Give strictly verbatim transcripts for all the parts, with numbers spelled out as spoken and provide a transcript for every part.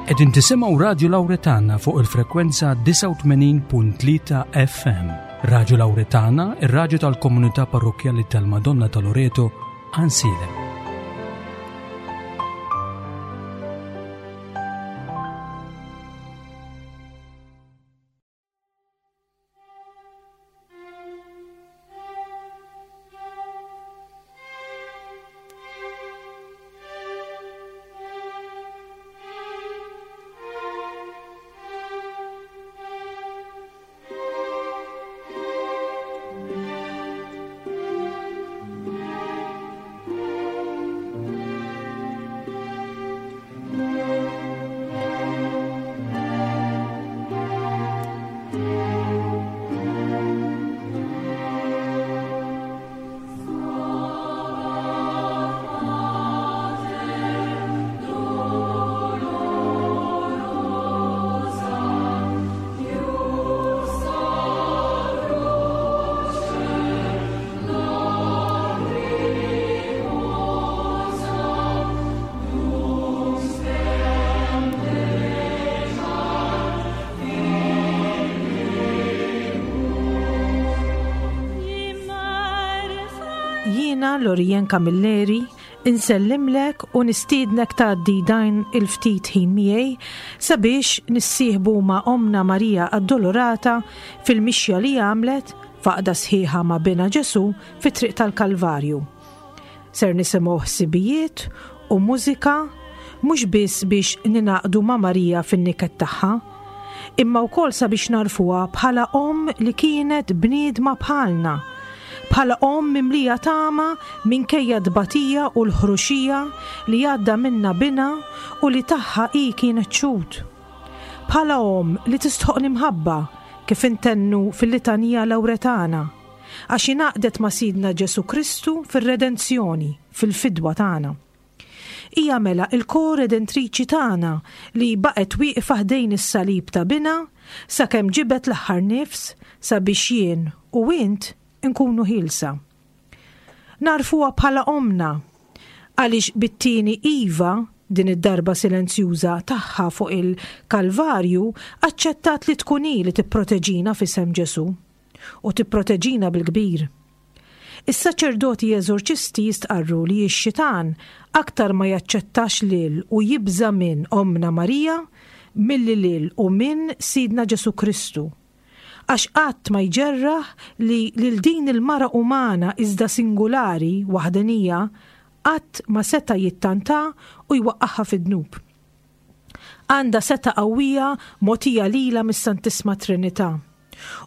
Qegħdin tisimgħu Radio Lauretana fuq il-frekwenza disgħa u tmenin punt tlieta F M. Radio Lauretana, ir-raġu tal-komunità parrokjali tal-Madonna ta' Loreto, Għajnsielem. Jiena Lorien Camilleri insellimlek u nistiednek tgħaddi dan il-ftit ħin miegħi sabiex nissieħbu ma' Omna Marija Addolorata fil-mixja li għamlet f'għaqda sħiħa ma' Binha Ġesu fit-triq tal-Kalvarju. Ser nisimgħu ħsibijiet u mużika mhux biss biex ningħaqdu ma' Marija fin-niket tagħha, imma wkoll sabiex nagħrfuha bħala om li kienet bniedma bħalna, bħala om mimlija tama minkejja tbatija u l-ħruxija li għadda minnha binha u li tagħha hi kienet xhud. Bħala om li tistħoqq l-imħabba, kif intennu fil-litanija Lawretana, għax ingħaqdet ma' Sidna Ġesu Kristu fir-redenzjoni, fil-fidwa tagħna. Hija mela il-ko-redentriċi tagħna li baqgħet wieqfa ħdejn is-salib ta' binha sakemm ġibet l-aħħar nifs sabiex jien u int nkunu ħielsa. Nagħrfuha bħala omna għaliex bit-tieni iva, din id-darba silenzjuża, tagħha fuq il-Kalvarju aċċettat li tkun hi li tipproteġina f'isem Ġesu u tipproteġina bil-kbir. Is-saċerdoti eżorċisti jistqarru li x-xitan aktar ma jaċċettax lil u jibża minn Omna Marija milli lil u minn Sidna Ġesu Kristu, għax qatt ma jġerraħ li lil din il-mara umana iżda singulari, waħdenija, qatt ma seta jittanta u jwaqqaħħa fid-dnub. Għandha setgħa qawwija mogħtija lilha mis-Santissma Trinità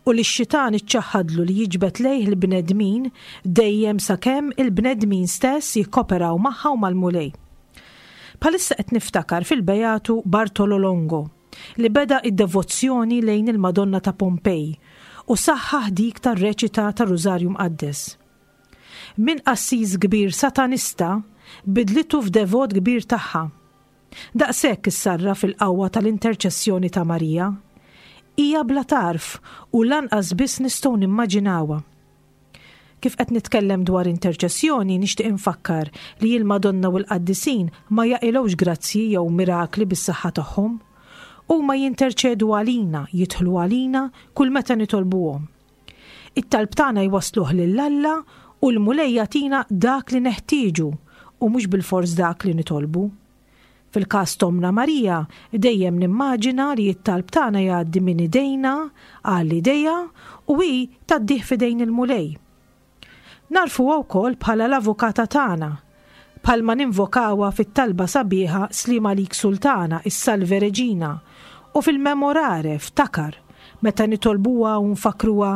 u li x-xitan iċċaħħadlu li jiġbed lejh il-bnedmin dejjem sakemm il-bnedmin stess jikkoperaw magħha u mal-Mulej. Bħalissa qed niftakar fil-Bejatu Bartolo Longo, li beda id-devozzjoni lejn il-Madonna ta' Pompej u saħħaħ dik tar-reċita ta' Rużarju Mqaddes. Min qassis kbir satanista bidlitu f'devot kbir tagħha. Daqshekk issarra fil-qawwa tal-interċessjoni ta' Marija. Hija bla tarf u lanqas biss nistgħu nimmaġinawha. Kif qed nitkellem dwar interċessjoni, nixtieq infakkar li l-Madonna u l-Qaddisin ma jaqilgħux grazzji jew mirakli bis-saħħa tagħhom. Huma jinterċedu għalina, jidħlu għalina kull meta nitolbuhom. It-talb tagħna jwasluh lil Alla u l-Mulej jagħtina dak li neħtieġu u mhux bil-fors dak li nitolbu. Fil-każ t'Ommna Marija, dejjem nimmaġina li t-talb tagħna jgħaddi minn idejna għal idejha u hi tgħaddih f'idejn il-Mulej. Nagħrfuha wkoll bħala l-avukata tagħna, bħalma ninvokawha fit-talba sabiħa Sliem Għalik Sultana, is-Salve Reġina, u fil-Memorare, Ftakar, meta nitolbuha u nfakruha: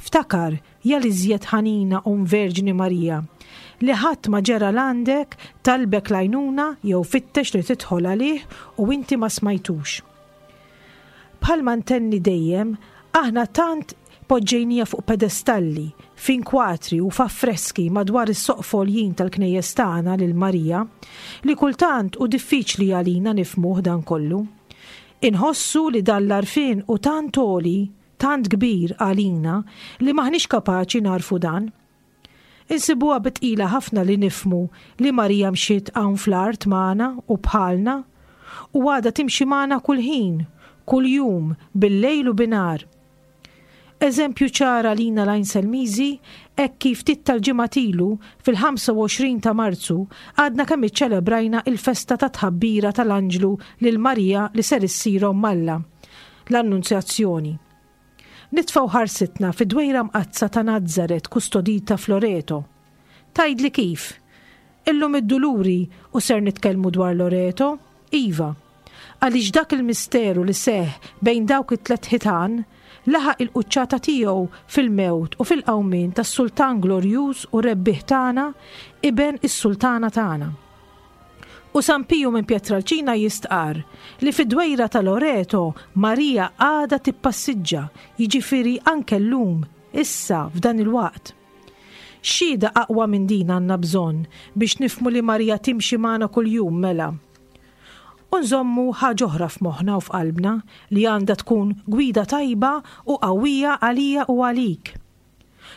"Ftakar, ja l-iżjed ħanina Omm Verġni Marija, li ħadd ma ġera 'l għandek, talbek l-għajnuna jew fittex li tidħol għalih u inti ma smajtux." Bħalma ntenni dejjem, aħna tant poġġejnieha fuq pedestalli, f'inkwatri u f'affreski madwar is-soqfa għoljin tal-knejjes tagħna lil Marija, li kultant hu diffiċli għalina nifhmuh dan kollu. Inħossu li dan l-għarfien hu tant għoli, tant kbir għalina li maħniex kapaċi nagħrfu dan. Insibuha bi tqila ħafna li nifhmu li Marija mxiet hawn fl-art magħna u bħalna U għadha timxi magħna kull ħin, kull jum, bil-lejl u binhar. Eżempju ċar għalina l-Għajnselmiżi, hekk kif ftit tal-ġimgħat ilu, fil-ħamsa u għoxrin ta' Marzu, għadna kemm iċċelebrajna il-festa ta' tħabbira tal-Anġlu lil Marija li ser issir omm Alla, l-Annunzjazzjoni. Nitfgħu ħarsitna fid-dwejra mqaddsa ta' Nazaret kustodita f'Loreto. Tgħidli kif? Illum id-Duluri u ser nitkellmu dwar Loreto? Iva. Għaliex dak il-misteru li seħ bejn dawk it-tlet ħitan laħaq il-quċċata tiegħu fil-mewt u fil-qawmien tas-Sultan Glorjuż u rebbieħ tagħna, iben is-Sultana tagħna. U San Piju minn Pietralcina jistqar li fid-dwejra ta' Loreto Marija għadha tippassiġġa, jiġifieri anke llum, issa f'dan il-waqt. Xhieda aqwa minn din għandna bżonn biex nifhmu li Marija timxi magħna kuljum mela. U nżommu ħaġa oħra f'moħħna u f'qalbna li għandha tkun gwida tajba u qawwija għalija u għalik.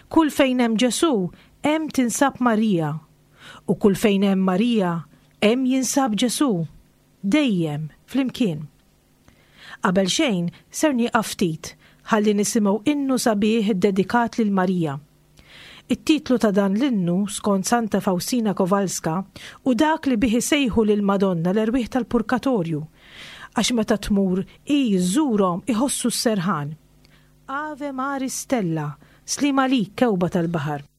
Kull fejn hemm Ġesù, hemm tinsab Marija. U kull fejn hemm Marija, hemm jinsab Ġesù. Dejjem, flimkien. Qabel xejn, ser nieqaf ftit ħalli nisimgħu innu sabiħ iddedikat lil Marija. It-titlu ta' dan l-innu, skont Santa Faustina Kowalska, u dak li bih isejħu lil Madonna l-erwieħ tal-purkatorju, għax meta tmur hi żżurhom iħossu s-serħan. Ave Maris Stella, sliem għalik kewba tal-baħar.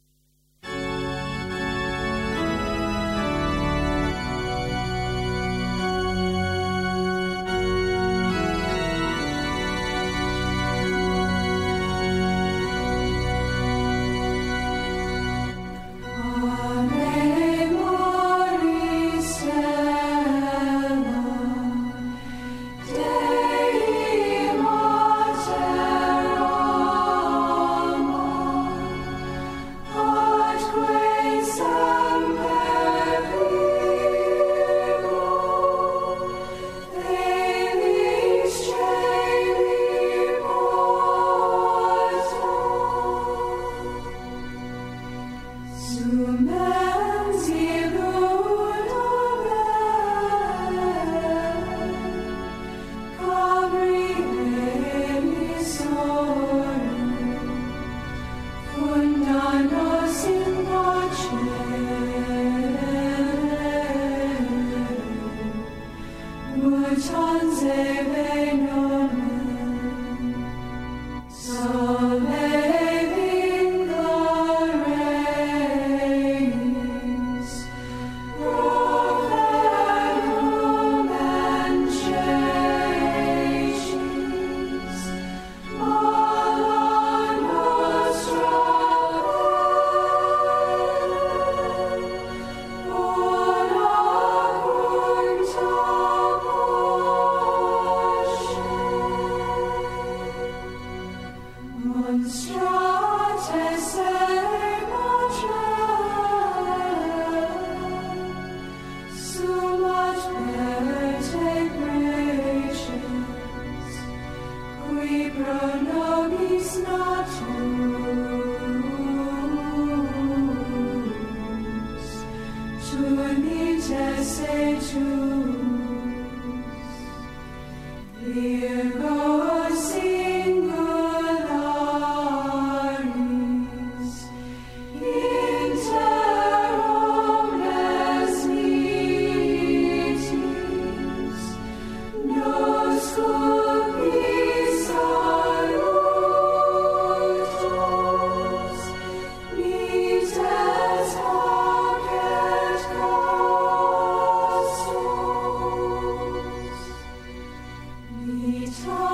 It's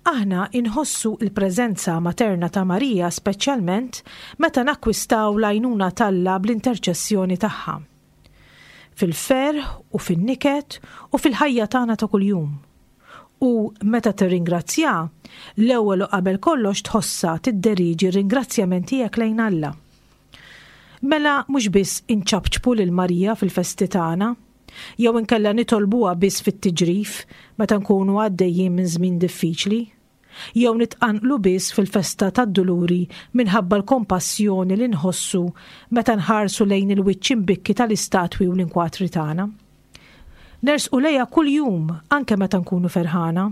Aħna inħossu il-preżenza materna ta' Marija speċjalment meta nakkwistaw l-għajnuna t'Alla bl-interċessjoni tagħha. Fil-ferħ u fin-niket u fil-ħajja tagħna ta' kuljum. U meta tirringrazzja, l-ewwel u qabel kollox tħossha tidderiġi r-ringrazzjament tiegħek lejn Alla. Mela mhux biss inċapċpu lil Marija fil-festi tagħna, jew inkella nitolbuha biss fit-tiġrif meta nkunu għaddejjin minn żmien diffiċli, jew nitqanqlu biss fil-festa tad-Duluri minħabba l-kompassjoni li nħossu meta nħarsu lejn il-wiċċ imbikki tal-istatwi u l-inkwatri tagħna. Nersqu lejha kuljum anke meta nkunu ferħana.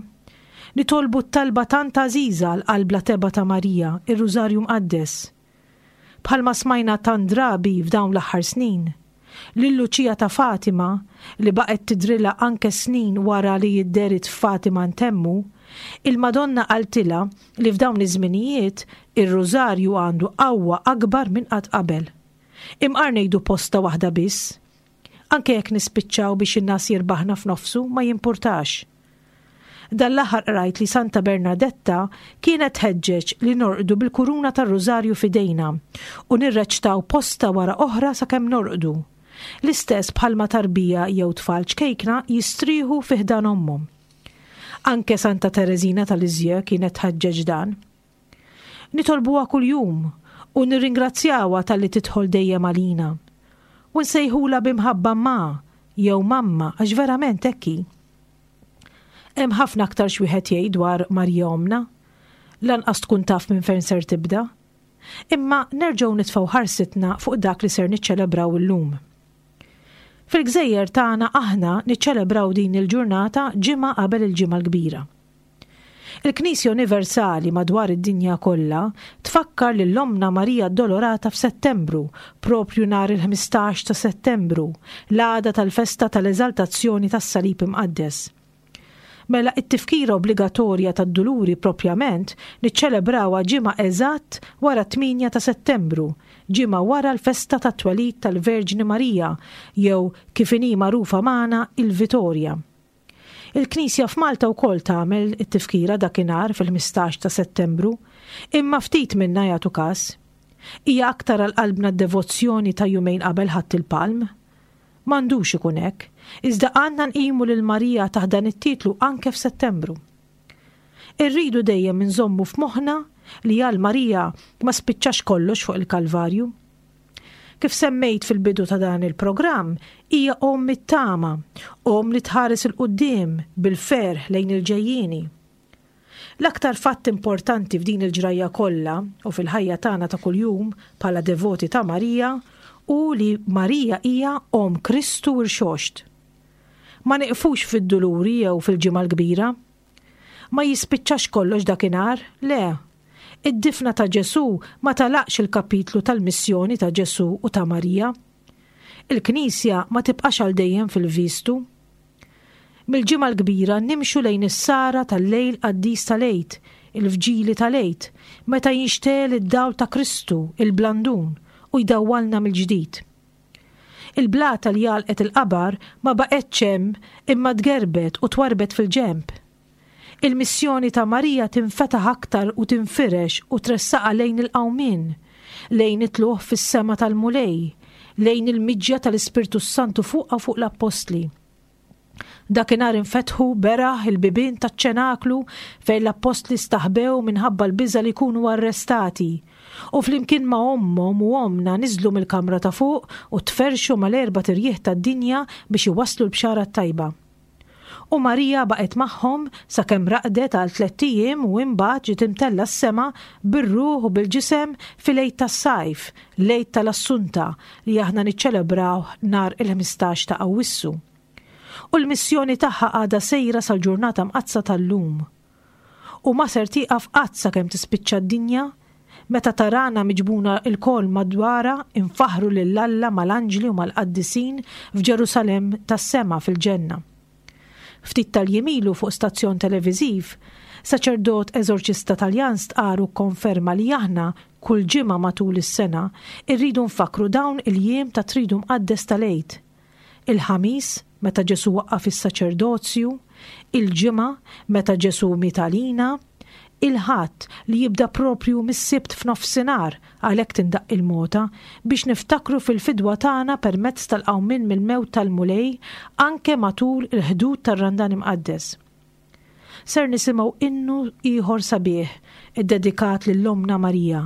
Nitolbu t-talba tant għażiża l-qalb bla tebgħa ta' Marija, ir-Rużarju Mqaddes. Bħalma smajna tant drabi f'dawn l-aħħar snin, lil Luċija ta' Fatima, li baqgħet tidrilha anke snin wara li dehret f'Fatima ntemmu, il-Madonna qaltilha li f'dawn iż-żminijiet ir-Rużarju għandu qawwa akbar minn qatt qabel. Imqar ngħidu posta waħda biss. Anke jekk nispiċċaw biex in-nas jirbaħna f'nofsu ma jimpurtax. Dan l-aħħar qrajt li Santa Bernadetta kienet tħeġġeġ li norqdu bil-kuruna tar-Rużarju f'idejna u nirreċtaw posta wara oħra sakemm norqdu. L-istess bħalma tarbija jew tfal ċkejkna jistrieħu fi ħdan ommhom. Anke Santa Tereżina ta' Lisieux kienet tħeġġeġ dan. Nitolbuha kuljum u nirringrazzjawha talli tidħol dejjem għalina. U nsejħula b'imħabba ma jew mamma għax verament hekk hi. Hemm ħafna aktar x'wieħed jgħid dwar Marija Omna. Lanqas tkun taf minn fejn ser tibda. Imma nerġgħu nitfgħu ħarsitna fuq dak li ser niċċelebraw illum. Fil-gżejjer tagħna aħna niċċelebraw din il-ġurnata ġimgħa qabel il-Ġimgħa l-Kbira. Il-Knisja Universali madwar id-dinja kollha tfakkar lil Ommna Marija Addolorata f'Settembru, propju nhar il-ħmistax ta' Settembru, l-għada tal-festa tal-Eżaltazzjoni tas-Salib Imqaddes. Mela it-tifkira obbligatorja tad-Duluri propjament niċċelebrawha ġimgħa eżatt wara tmienja ta' Settembru, ġimgħa wara l-festa tat-twelid tal-Verġni Marija, jew kif inhi magħrufa magħna il-Vitorja. Il-Knisja f'Malta wkoll tagħmel it-tifkira dakinhar fil-ħmistax ta' Settembru, imma ftit minna jagħtu każ. Hija aktar għal qalbna d-devozzjoni ta' jumejn qabel Ħadd il-Palm. M'għandux ikun hekk, iżda għandna nqimu lil Marija taħt dan it-titlu anke f'Settembru. Irridu dejjem inżommu f'moħħna li għal Marija ma spiċċax kollox fuq il-Kalvarju. Kif semmejt fil-bidu ta' dan il-programm, hija omm it-tama, omm li tħares il-quddiem bil-ferħ lejn il-ġejjieni. L-aktar fatt importanti f'din il-ġrajja kollha u fil-ħajja tagħna ta' kuljum bħala devoti ta' Marija u li Marija hija omm Kristu rxoxt. Ma nieqfux fid-duluri jew fil-Ġimgħa l-Kbira. Ma jispiċċax kollox dakinhar, le. Id-difna ta' Ġesu ma talaqx il-kapitlu tal-missjoni ta' Ġesu u ta' Marija. Il-Knisja ma tibqax għal dejjem fil-vistu. Mill-Ġimgħa l-Kbira nimxu lejn is-sara tal-lejl qaddis tal-Għid, il-vġili tal-Għid, meta jinxtegħel id-dawl ta' Kristu, il-blandun, u jdawwalna mill-ġdid. Il-blata li għalqet il-qabar ma baqgħetx hemm imma tgerbet u twarbet fil-ġemp. Il-missjoni ta' Marija tinfetaħ aktar u tinfirex u tressaqa lejn il-qawmien, lejn it-tluħ fis-sema tal-Mulej, lejn il-miġja tal-Ispirtu Santu fuqha fuq l-Appostli. Dakinhar infetħu beraħ il-bibien taċ-ċenaklu fejn l-appostli staħbew minħabba l-biża' li jkunu arrestati. U flimkien ma' ommhom u ommna niżlu mill-kamra ta' fuq u tferxu mal-erba' tirjieħ tad-dinja biex iwasslu l-bxara t-tajba. U Marija baqgħet magħhom sakemm raqdet għal tlett ijiem u imbagħad ġiet imtella s-sema bir-ruħ u bil-ġisem fil-Għid tas-Sajf, l-Għid tal-Assunta li aħna niċċelebraw nhar il-ħmistax ta' Awwissu. U l-missjoni tagħha għadha sejra sal-ġurnata mqaddsa tal-lum. U ma ser tieqaf qatt sakemm tispiċċa d-dinja, meta tarana miġbuna il-kol madwara infaħru lil Alla mal-anġli u mal-qaddisin f'Ġerusalemm tas-sema fil-ġenna. Ftit tal-jiem ilu fuq stazzjon televiżiv, saċerdot eżorċista Taljan stqar u kkonferma li aħna kull ġimgħa matul is-sena irridu nfakru dawn il-jiem ta' tridu mqaddes tal-Għid. Il-Ħamis, meta Ġesu waqqaf is-saċerdozju, il-Ġimgħa, meta Ġesu miet għalina, Il-Ħadd li jibda proprju mis-Sibt f'nofsinhar, għalhekk tindaqq il-mota biex niftakru fil-fidwa tagħna permezz tal-qawmien mill-mewt tal-Mulej anke matul il-Ħdud tar-Randan Imqaddes. Ser nisimgħu innu ieħor sabiħ iddedikat lil Ommna Marija.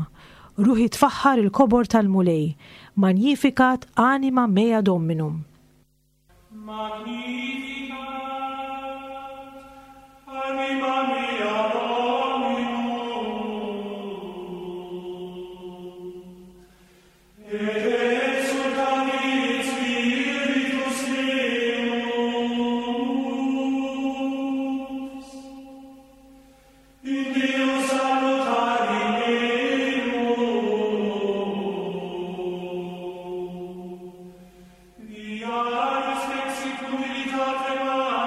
Ruħi tfaħħar il-kobor tal-Mulej, Magnificat anima mea Dominum. Magnificat anima mea Dominum, et exultavit spiritus meus in Deo salutari meum, via respexit humilitate.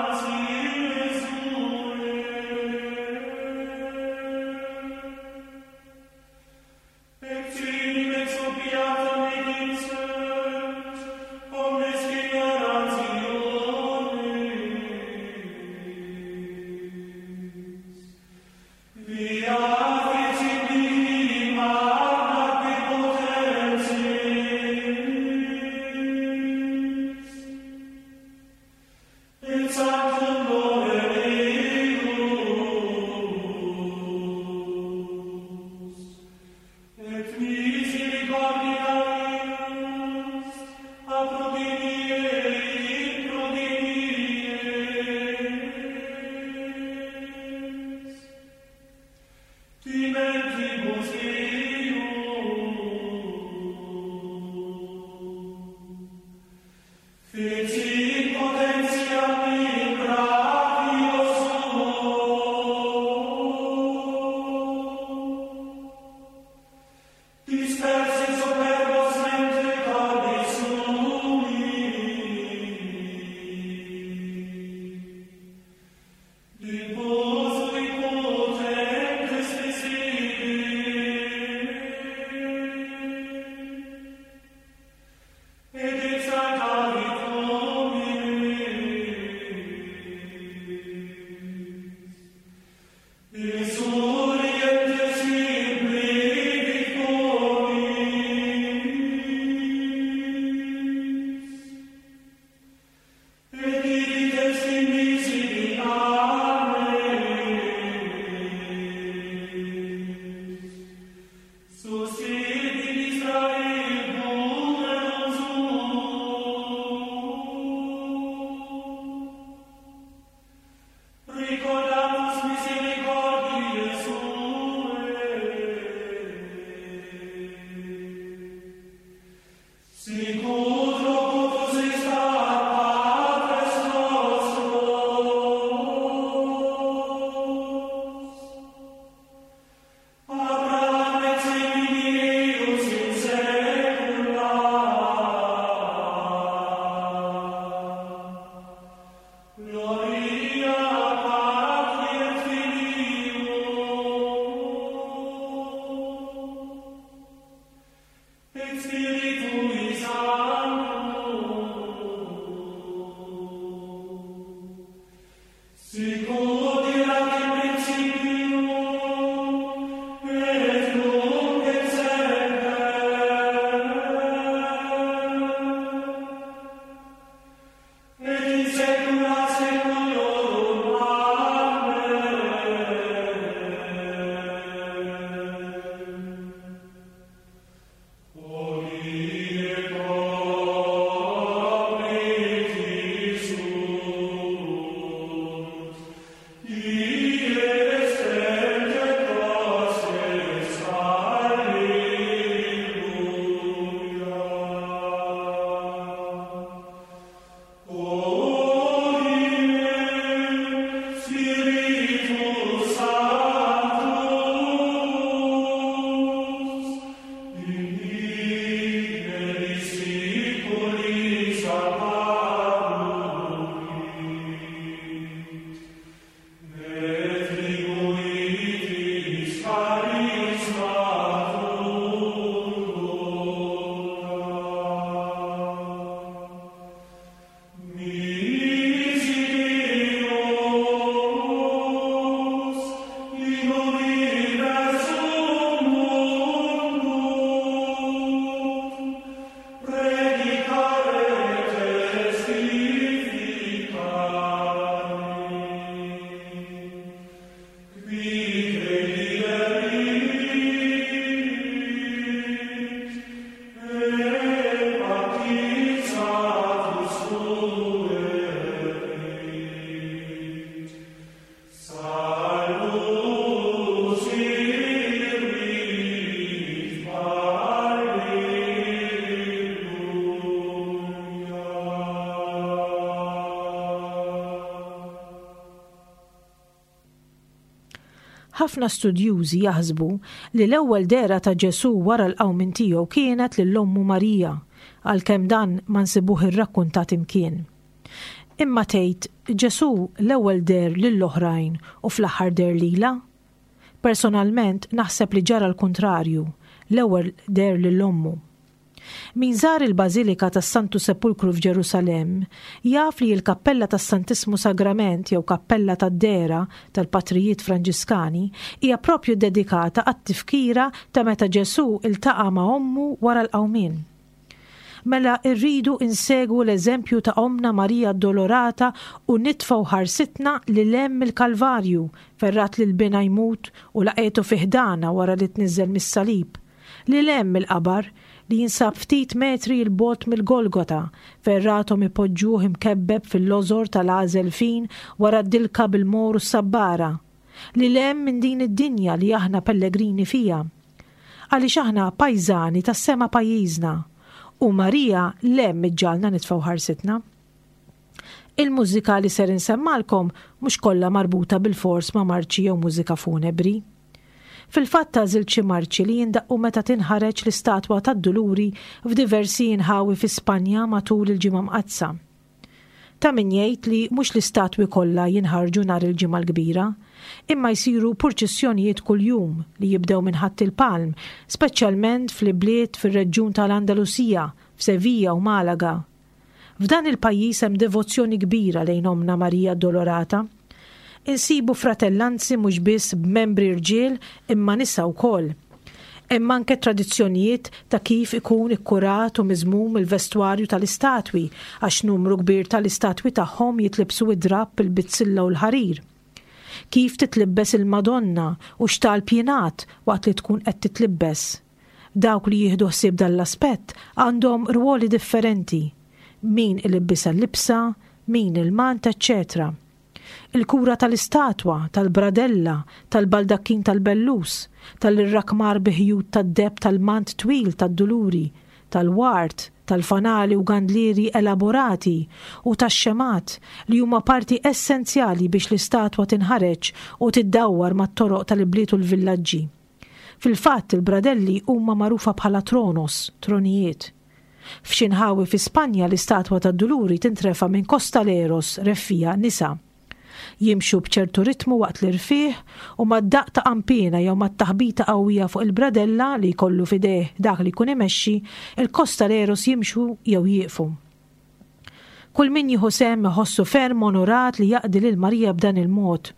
Ħafna studjużi jaħsbu li l-ewwel dehra ta' Ġesù wara l-qawmien tiegħu kienet lil ommu Marija, għalkemm dan ma nsibuh irrakkuntat imkien. Imma tgħid Ġesù l-ewwel deher lill-oħrajn u fl-aħħar deher lilha? Personalment naħseb li ġara l-kuntrarju, l-ewwel deher lil ommu. Min żar il-Bażilika tas-Santu Sepulkru f'Ġerusalemm jaf li l-Kappella tas-Santissmu Sagrament jew Kappella tad-Dehra tal-Patrijiet Franġiskani hija propju dedikata għat-tifkira ta' meta Ġesù iltaqa' ma' ommu wara l-qawmien. Mela rridu insegwu l-eżempju ta' Ommna Marija Addolorata u nitfgħu ħarsitna lil hemm mill-Kalvarju fejn rat lil binha jmut u laqgħetu fi ħdanha wara li tniżżel mis-salib, lil hemm mill-qabar li jinsab ftit metri 'l bogħod mill-Golgota fejn rathom ipoġġuh imkebbeb fil-lożor tal-għażel fin wara d-dilka bil-mor u s-sabbara, lil hemm minn din id-dinja li aħna pellegrini fiha. Għaliex aħna pajżani tas-sema pajjiżna u Marija 'l hemm iġġagħalna nitfgħu ħarsitna. Il-mużika li ser insemmalkom mhux kollha marbuta bilfors ma' marċi jew mużika funebri. Fil-fatt għażilt xi marċi li jindaqqu meta tinħareġ l-istatwa tad-Duluri f'diversi inħawi fi Spanja matul il-Ġimgħa Mqaddsa. Ta' min jgħid li mhux l-istatwi kollha jinħarġu nhar il-Ġimgħa l-Kbira, imma jsiru purċissjonijiet kuljum li jibdew minn Ħadd il-Palm, speċjalment fl-ibliet fir-reġjun tal-Andalusija, f'Sevilla u Malaga. F'dan il-pajjiż hemm devozzjoni kbira lejn Ommna Marija Addolorata. Insibu fratellanzi mhux biss b'membri rġiel imma nisa wkoll. Hemm anke tradizzjonijiet ta' kif ikun ikkurat u miżmum il-vestwarju tal-istatwi għax numru kbir tal-istatwi tagħhom jitlibsu id-drapp, il-bizzilla u l-ħarir. Kif titlibbes il-Madonna u x'talb jingħad waqt li tkun qed titlibbes. Dawk li jieħdu ħsieb dan l-aspett għandhom rwoli differenti. Min ilibbisha l-libsa, min il-mant, eċċetera. Il-kura tal-istatwa, tal-bradella, tal-baldakkin tal-bellus, tal-irrakmar bi ħjut tad-deheb tal-mant twil tad-duluri, tal-ward, tal-fanali u gandlieri elaborati u tax-xemgħat li huma parti essenzjali biex l-istatwa tinħareġ u tiddawwar mat-toroq tal-ibliet u l-villaġġi. Fil-fatt il-bradelli huma magħrufa bħala tronos, tronijiet. F'xi nħawi fi Spanja l-istatwa tad-Duluri tintrefa' minn costaleros, reffija, nisa. Jimxu b'ċertu ritmu waqt l-irfigħ u mad-daqq ta' qanpiena jew mat-taħbita qawwija fuq il-bradella li jkollu f'idejh dak li jkun imexxi, il-costaleros jimxu jew jieqfu. Kull min jieħu sehem iħossu ferm onorat li jaqdi lil Marija b'dan il-mod.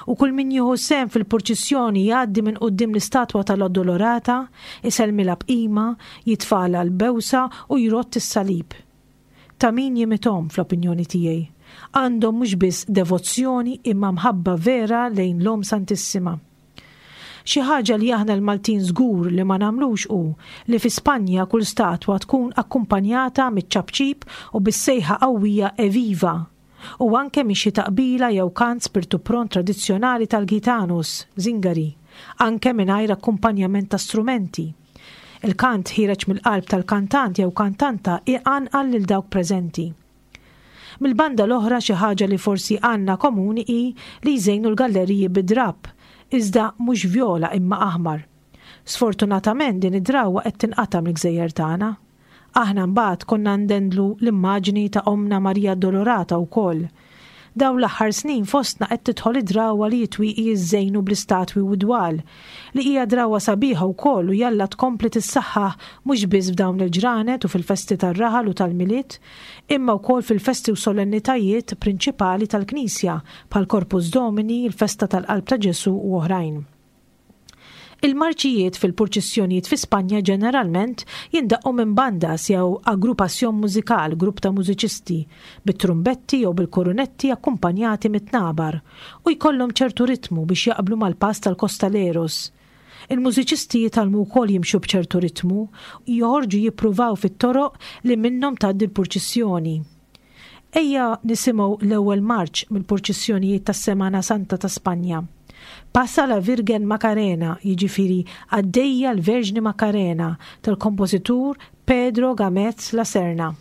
U kull min jieħu sehem fil-purċissjoni jgħaddi minn quddiem l-istatwa tal-Addolorata, isellmilha b'qima, jitfagħlha l-bewsa u jrodd is-salib. Ta' min jimithom fl-opinjoni tiegħi. Għandhom mhux biss devozzjoni imma mħabba vera lejn l-Omm Santissima. Xi ħaġa li aħna l-Maltin żgur li ma nagħmlux hu li fi Spanja kull statwa tkun akkumpanjata miċ-ċapċip u bis-sejħa qawwija Eviva! U anke minn xi taqbila jew kant spirtu pront tradizzjonali tal-gitanos, zingari, anke mingħajr akkumpanjament ta' strumenti. Il-kant ħiereġ mill-qalb tal-kantant jew kantanta iqanqal lil dawk preżenti. Mill-banda l-oħra xi ħaġa li forsi għandna komuni hi li jżejnu l-galleriji bid-drapp, iżda mhux vjola imma aħmar. Sfortunatament din id-drawwa qed tinqata' mill-gżejjer tagħna. Aħna mbagħad konna ndendlu l-immaġni ta' Ommna Marija Addolorata wkoll. Dawn l-aħħar snin fostna qed tidħol id-drawwa li t-twieqi jiżżejnu bl-istatwi u d-dwal, li hija drawwa sabiħa wkoll u jalla tkompli tissaħħaħ mhux biss f'dawn il-ġranet u fil-festi tar-raħal u tal-Milied, imma wkoll fil-festi u solennitajiet prinċipali tal-Knisja bħal Corpus Domini, il-festa tal-Qalb ta' Ġesù u oħrajn. Il-marċijiet fil-purċissjonijiet fi Spanja ġeneralment jindaqqu minn bandas jew agrupación musical, grupp ta' mużiċisti, bit-trumbetti jew bil-korunetti akkumpanjati mit-tnabar, u jkollhom ċertu ritmu biex jaqblu mal-pass tal-costaleros. Il-mużiċisti jitgħallmu wkoll jimxu b'ċertu ritmu u joħorġu jippruvaw fit-toroq li minnhom tgħaddi l-purċissjoni. Ejja nisimgħu l-ewwel marċ mill-purċissjonijiet tas-Semana Santa ta' Spanja. Pasa la Virgen Macarena, jiġifieri għaddejja l-Verġni Macarena tal-kompożitur Pedro Gamez La Serna.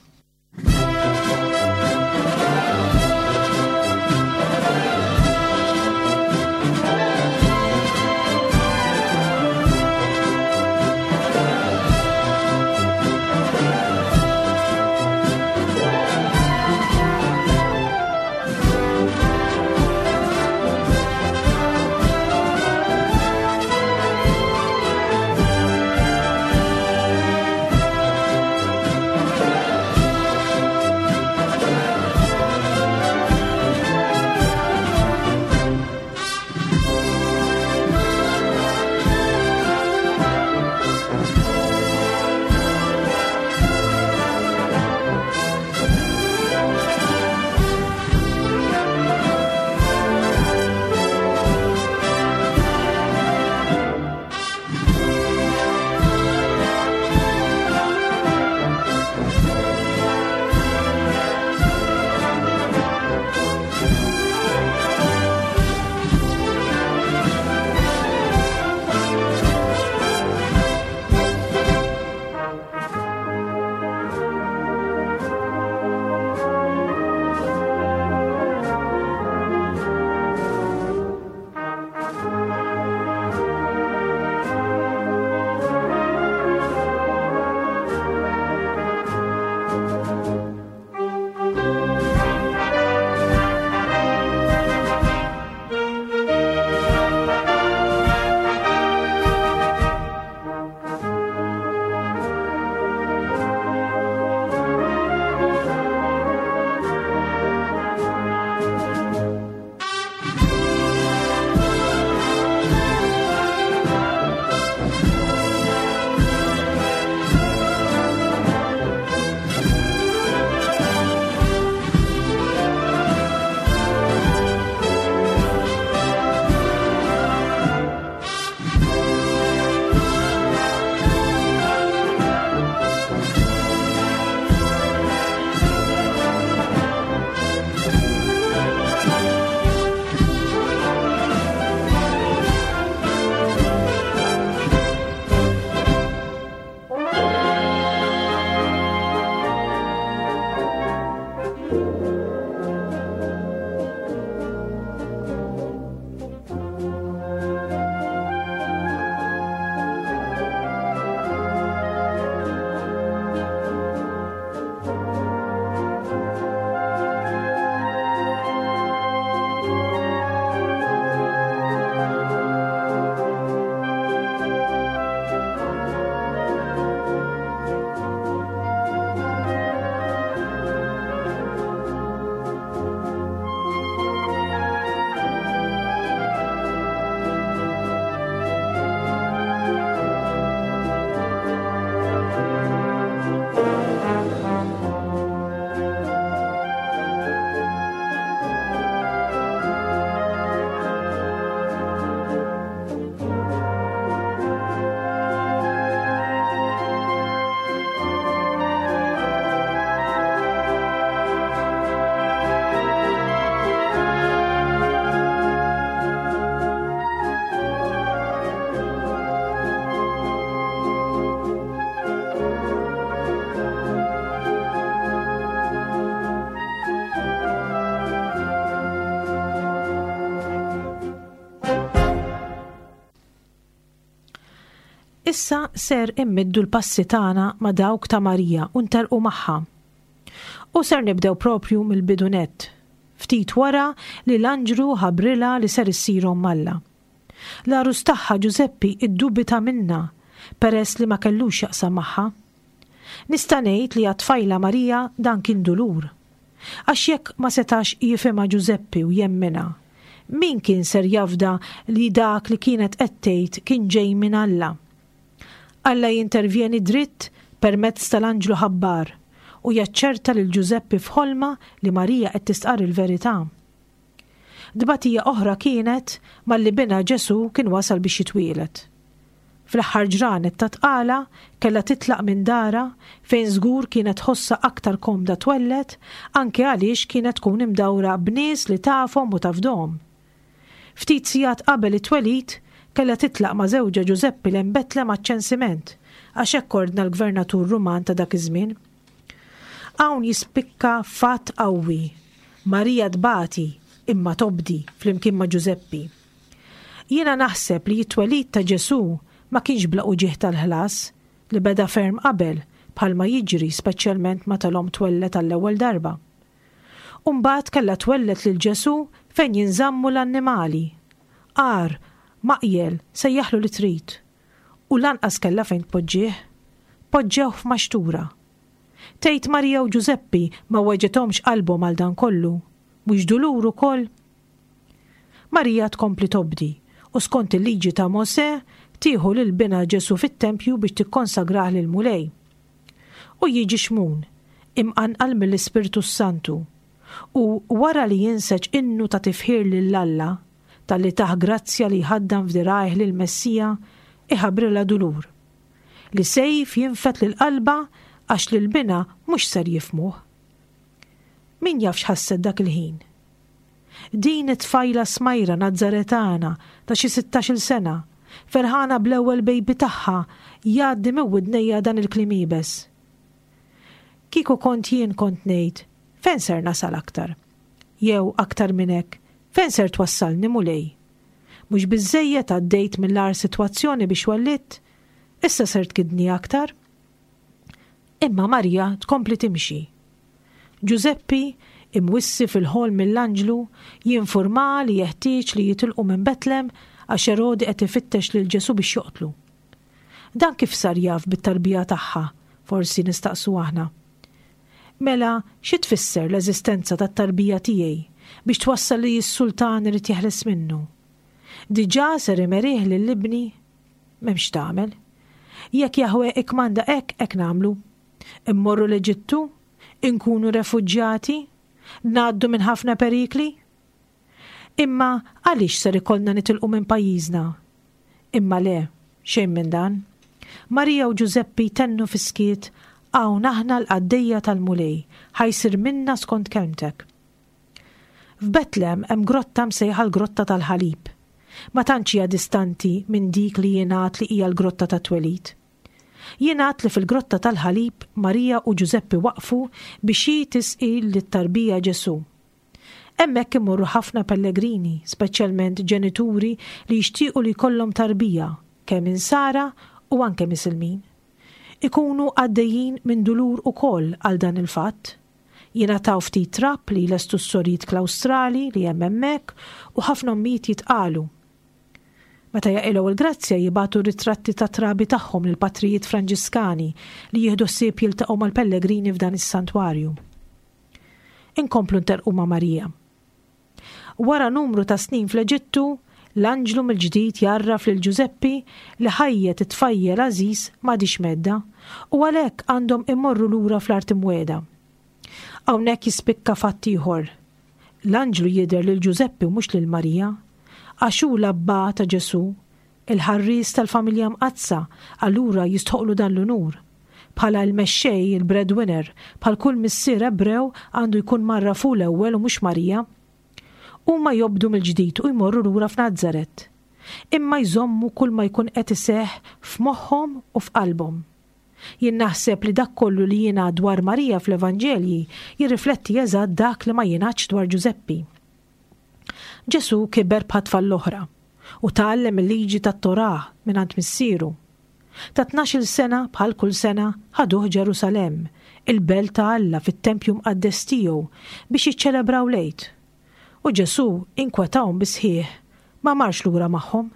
Issa ser immiddu l-passi tagħna ma' dawk ta' Marija u ntelqu magħha. U ser nibdew propju mill-bidu nett, ftit wara li l-anġlu ħabbrilha li ser issir omm Alla. L-għarus tagħha Ġużeppi iddubita minnha peress li ma kellux jaqsam magħha. Nista' ngħid li għat-tfajla Marija dan kien dulur. Għax jekk ma setax jifhimha Ġużeppi u jemminha, min kien ser jafda li dak li kienet qed tgħid kien ġej minn Alla? Alla jintervjeni dritt permezz tal-anġlu ħabbar u jaċċerta lil Ġużeppi f'ħolma li Marija qed tistqarr il-verità. Tbatija oħra kienet malli binha Ġesù kien wasal biex jitwieled. Fl-aħħar ġranet ta' tqala kellha titlaq minn darha fejn żgur kienet tħossha aktar komda twelled anke għaliex kienet tkun imdawra b'nies li tafhom u tafdhom. Ftit sigħat qabel it-twelid kellha titlaq ma' żewġha Ġużeppi lejn Betlem għaċ-ċensiment għax hekk ordna l-gvernatur Ruman ta' dak iż-żmien. Hawn jispikka fatt qawwi. Marija tbati imma tobdi flimkien ma' Ġużeppi. Jiena naħseb li t-twelid ta' Ġesù ma kienx bla uġigħ tal-ħlas li beda ferm qabel bħalma jiġri speċjalment meta l-omm twelled għall-ewwel darba. U mbagħad kellha twelled lil Ġesù fejn jinżammu l-annimali. Għar, maqjel, sejjaħlu li trid. U lanqas kellha fejn tpoġġih. Poġġewh f'maxtura. Tgħid Marija u Ġużeppi ma weġgħethomx qalbhom għal dan kollu, mhux dulur ukoll? Marija tkompli tobdi u skont il-liġi ta' Mosè tieħu lil binha Ġesù fit-tempju biex tikkonsagrah lil Mulej. U jiġi Xmun, imqanqal mill-Ispirtu Santu, u wara li jinseġ innu ta' tifħir lil Alla, talli tah grazzja li jħaddan f'dirgħajh lil Messija, iħabbrilha dulur. Li sejf jinfed lil qalbha għax lil binha mhux ser jifhmuh. Min jaf x'ħasset dak il-ħin? Din it-tfajla smajra Nazzaretana ta' xi sittax-il sena, ferħana bl-ewwel baby tagħha, jgħaddi minn widnejha dan il-kliem iebes. Kieku kont jien kont ngħid, fejn ser nasal aktar? Jew aktar minn hekk, fejn ser twassalni Mulej? Mhux biżżejjed għaddejt mill-agħar sitwazzjoni biex wellidt, issa ser tkiddni aktar? Imma Marija tkompli timxi. Ġużeppi, imwissi fil-ħolm mill-anġlu, jinforma li jeħtieġ li jitilqu minn Betlem għax Erodi qed ifittex lil Ġesù biex joqtlu. Dan kif sar jaf bit-tarbija tagħha, forsi nistaqsu aħna. Mela, xi tfisser l-eżistenza tat-tarbija tiegħi biex twassal li s-sultan irid jeħles minnu? Diġà ser imerih lil ibni? M'hemmx tagħmel. Jekk Jahwe ikkmanda hekk, hekk nagħmlu. Immorru l-Eġittu? Inkunu refuġjati? Ngħaddu minn ħafna perikli? Imma għaliex ser ikollna nitilqu minn pajjiżna? Imma le, xejn minn dan. Marija u Ġużeppi tennu fis-skiet, hawn aħna l-qaddejja tal-Mulej, ħa jsir minna skont kelmtek. F'Betlem hemm grotta msejħa l-Grotta tal-Ħalib. Ma tantx hija distanti minn dik li jingħad li hija l-Grotta tat-Twelid. Jingħad li fil-Grotta tal-Ħalib Marija u Ġużeppi waqfu biex hi tisqi lit-tarbija Ġesù. Hemmhekk imorru ħafna pellegrini, speċjalment ġenituri li jixtiequ li jkollhom tarbija, kemm insara u anke misilmin. Ikunu għaddejjin minn dulur ukoll għal dan il-fatt. Jingħataw ftit trab li jlestu s-sorijiet klawstrali li hemm hemmhekk u ħafna ommijiet jitqalu. Meta jaqilgħu il-grazzja jibagħtu ritratti ta' trabi tagħhom lil patrijiet Franġiskani li jieħdu ħsieb jiltaqgħu mal-pellegrini f'dan is-santwarju. Inkomplu nterqu ma' Marija. Wara numru ta' snin fl-Eġittu, l-anġlu mill-ġdid jarraf lil Ġużeppi li ħajjet it-tfajjel għażiż m'għadix medda u għalhekk għandhom imorru lura fl-art imwiegħda. Hawnhekk jispikka fatt ieħor. L-anġlu jidher lil Ġużeppi u mhux lil Marija, għax hu l-abba ta' Ġesù, il-ħarries tal-familja mqaddsa, allura jistħoqlu dan l-unur. Bħala l-mexxej, il-breadwinner, bħal kull missier Ebrew għandu jkun marra fu l-ewwel u mhux Marija. Huma jobdu mill-ġdid u jmorru lura f'Nazaret. Imma jżommu kull ma jkun qed iseħħ f'moħħhom u f'qalbhom. Jien naħseb li dak kollu li jingħad dwar Marija fl-Evanġelji jirrifletti eżatt dak li ma jingħadx dwar Ġużeppi. Ġesù kiber bħat-tfal l-oħra u tgħallem il-liġi tat-Torah mingħand missieru. Ta' tnax-il sena bħal kull sena ħaduh Ġerusalemm, il-belt ta' Alla fit-tempju mqaddes tiegħu biex jiċċelebraw l-Għid. U Ġesù inkwetahom bis-sħiħ, ma marx lura magħhom.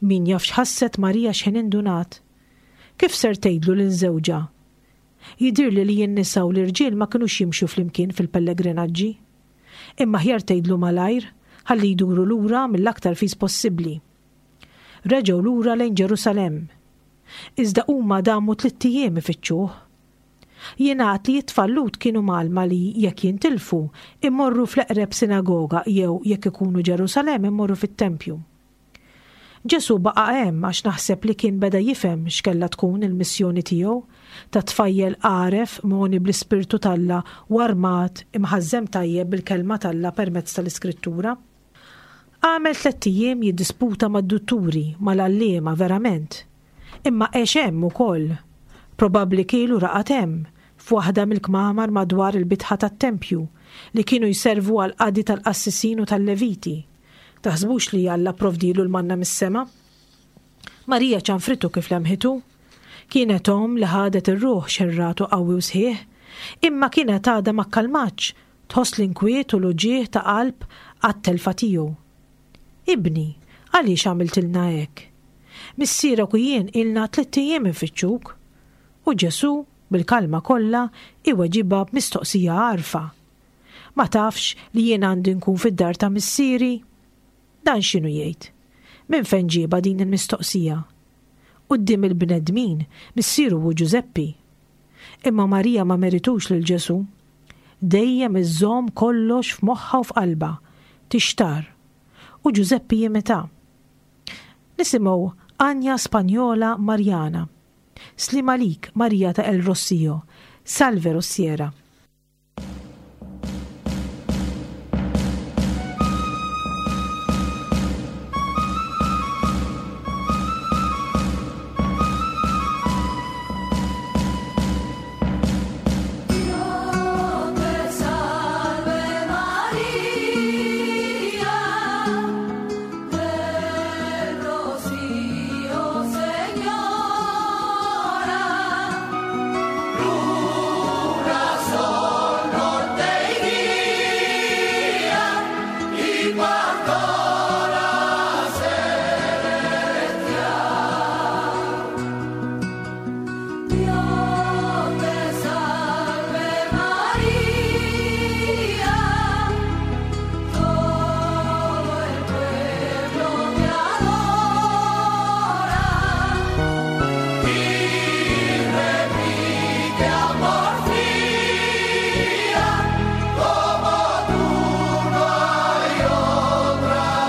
Min jaf x'ħasset Marija x'ħin indunat. Kif ser tgħidlu lil żewġha? Jidhirli li n-nisa u l-irġiel ma kinux jimxu flimkien fil-pellegrinaġġi. Imma aħjar tgħidlu malajr, ħalli jduru lura mill-aktar fis possibbli. Reġgħu lura lejn Ġerusalemm. Iżda huma damu tlitt ijiem ifittxuh. Jingħad li t-tfal Lhud kienu mgħallma li jekk jintilfu imorru fl-eqreb sinagoga jew jekk ikunu Ġerusalemm imorru fit-tempju. Ġesù baqa' hemm għax naħseb li kien beda jifhem x'kellha tkun il-missjoni tiegħu ta' tfajjel għaref mogħni bl-Ispirtu t'Alla u armat imħażżem tajjeb bil-kelma t'Alla permezz tal-Iskrittura. Għamel tlett ijiem jiddisputa mad-dutturi, mal-għalliema verament. Imma għex hemm ukoll. Probabbli kiel u raqad hemm, f'waħda mill-kmamar madwar il-bitħa tat-tempju li kienu jservu għall-qadi tal-qassisin u tal-leviti. Taħsbux li Alla provdilu l-manna mis-sema? Marija ċanfritu kif lemħitu. Kienet omm li ħadet ir-ruħ xerratu qawwi u sħiħ, imma kienet għadha ma kkalmatx, tħoss l-inkwiet u l-uġigħ ta' qalb għat-telfa tiegħu. Ibni, għaliex għamiltilna hekk? Missierek u jien ilna tlitt ijiem infittxuk. U Ġesù, bil-kalma kollha, iweġibha b'mistoqsija għarfa. Ma tafx li jien għandi nkun fid-dar ta' missieri? Dan x'inhu jgħid? Minn fejn ġiebha din il-mistoqsija? Quddiem il-bnedmin, missieru hu Ġużeppi. Imma Marija ma meritux lil Ġesù. Dejjem iżżomm kollox f'moħħha u f'qalbha, tixtar. U Ġużeppi jimita. Nisimgħu Anja Spanjola Marjana. Sliem għalik, Marija ta' El Rossio. Salve Rossiera. Como tú no hay otra.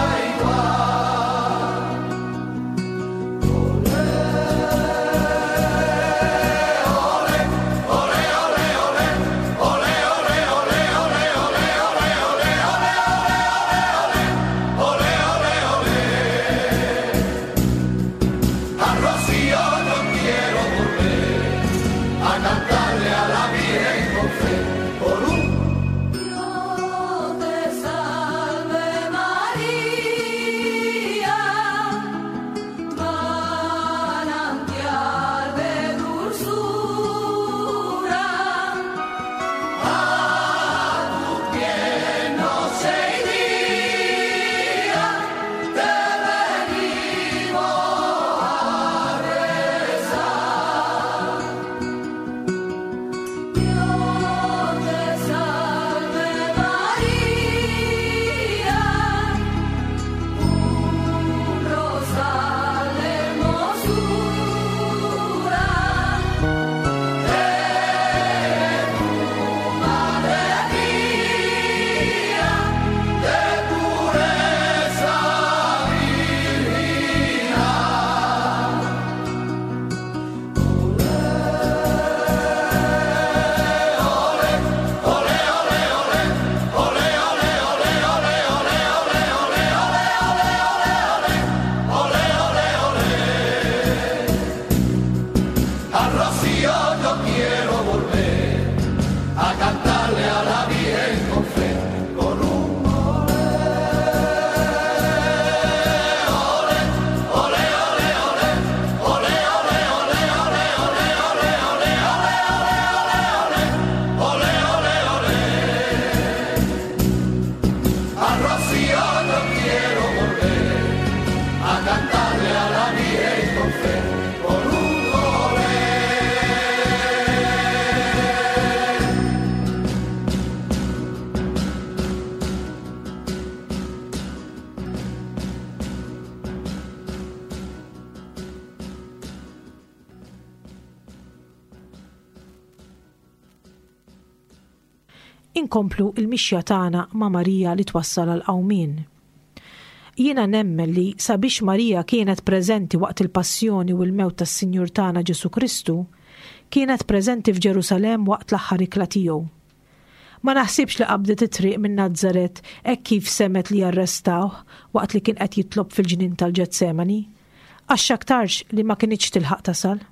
Inkomplu il-mixja tagħna ma' Marija li twassal għal qawmien. Jiena nemmen li sabiex Marija kienet preżenti waqt il-passjoni u l-mewt tas-Sinjur tagħna Ġesù Kristu, kienet preżenti f'Ġerusalemm waqt l-aħħar ikla tiegħu. Ma naħsibx li qabdet it-triq minn Nazzaret hekk kif semgħet li arrestawh waqt li kien qed jitlob fil-ġnien tal-Ġetsemani, għax x'aktarx li ma kinitx tilħaq tasal.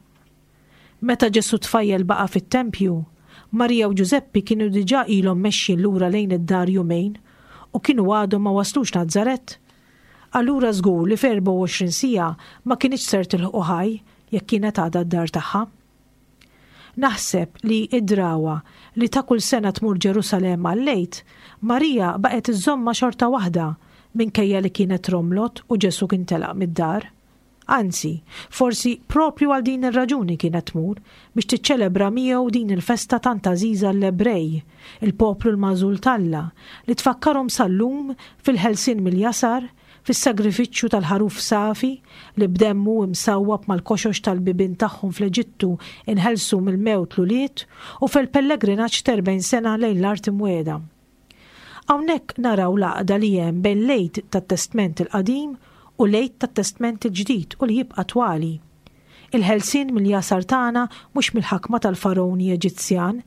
Meta Ġesù tfajjel baqa' fit-tempju, Marija u Ġużeppi kienu diġà ilhom mexjin lura lejn id-dar jumejn u kienu għadhom ma waslux Nazzaret. Allura żgur li f'erbgħa u għoxrin siegħa ma kinitx ser tilħqu ħaj jekk kienet għadha d-dar tagħha. Naħseb li id-drawa li ta' kull sena tmur Ġerusalemm għall-Għid, Marija baqgħet iżżommha xorta waħda minkejja li kienet romlot u Ġesù kien telaq mid-dar. Anzi, forsi propju għal din ir-raġuni kienet tmur biex tiċċelebra miegħu din il-festa tant għażiża l-Ebrej, il-poplu l-magħżul t'Alla, li tfakkarhom sal-lum fil-ħelsien mill-jasar, fis-sagrifiċċju tal-ħaruf safi li b'demmu imsawwab mal-koxox tal-bibien tagħhom fl-Eġittu inħelsu mill-mewt l-ulied u fil-pellegrinaġġ t'erbgħin sena lejn l-art imwiegħda. Hawnhekk naraw l-għaqda li hemm bejn l-Għid tat-Testment il-Qadim u l-Għid tat-Testment il-Ġdid u li jibqa' twali. Il-ħelsien mill-jasar tagħna mhux mill-ħakma tal-faroni Eġizzjan,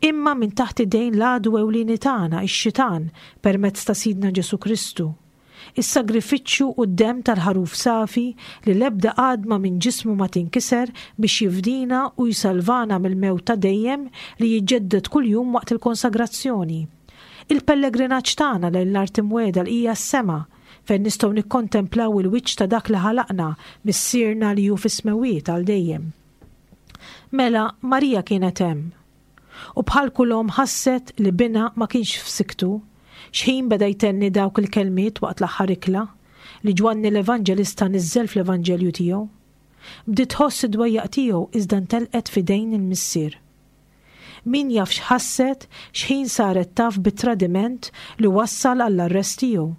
imma minn taħt idejn l-għadu ewlieni tagħna, ix-xitan, permezz ta' Sidna Ġesù Kristu. Is-sagrifiċċju u d-demm tal-ħaruf safi li l-ebda għadma minn ġismu ma tinkiser biex jifdina u jsalvana mill-mewt ta' dejjem li jiġġedded kuljum waqt il-konsagrazzjoni. Il-pellegrinaġġ tagħna lejn l-art imwiegħda li hija s-sema, fejn nistgħu nikkontemplaw il-wiċċ ta' dak li ħalaqna, Missierna li hu fis-smewwiet għal dejjem. Mela Marija kienet hemm. U bħal kull omm ħasset li binha ma kienx f'siktu, xħin beda jtenni dawk il-kelmiet waqt l-aħħar ikla li Ġwanni l-Evanġelista niżżel fl-Evanġelju tiegħu. Bdiet tħoss id-dwejjaq tiegħu iżda ntelqet f'idejn il-Missier. Min jaf x'ħasset xħin saret taf bit-tradiment li wassal għall-arrest tiegħu.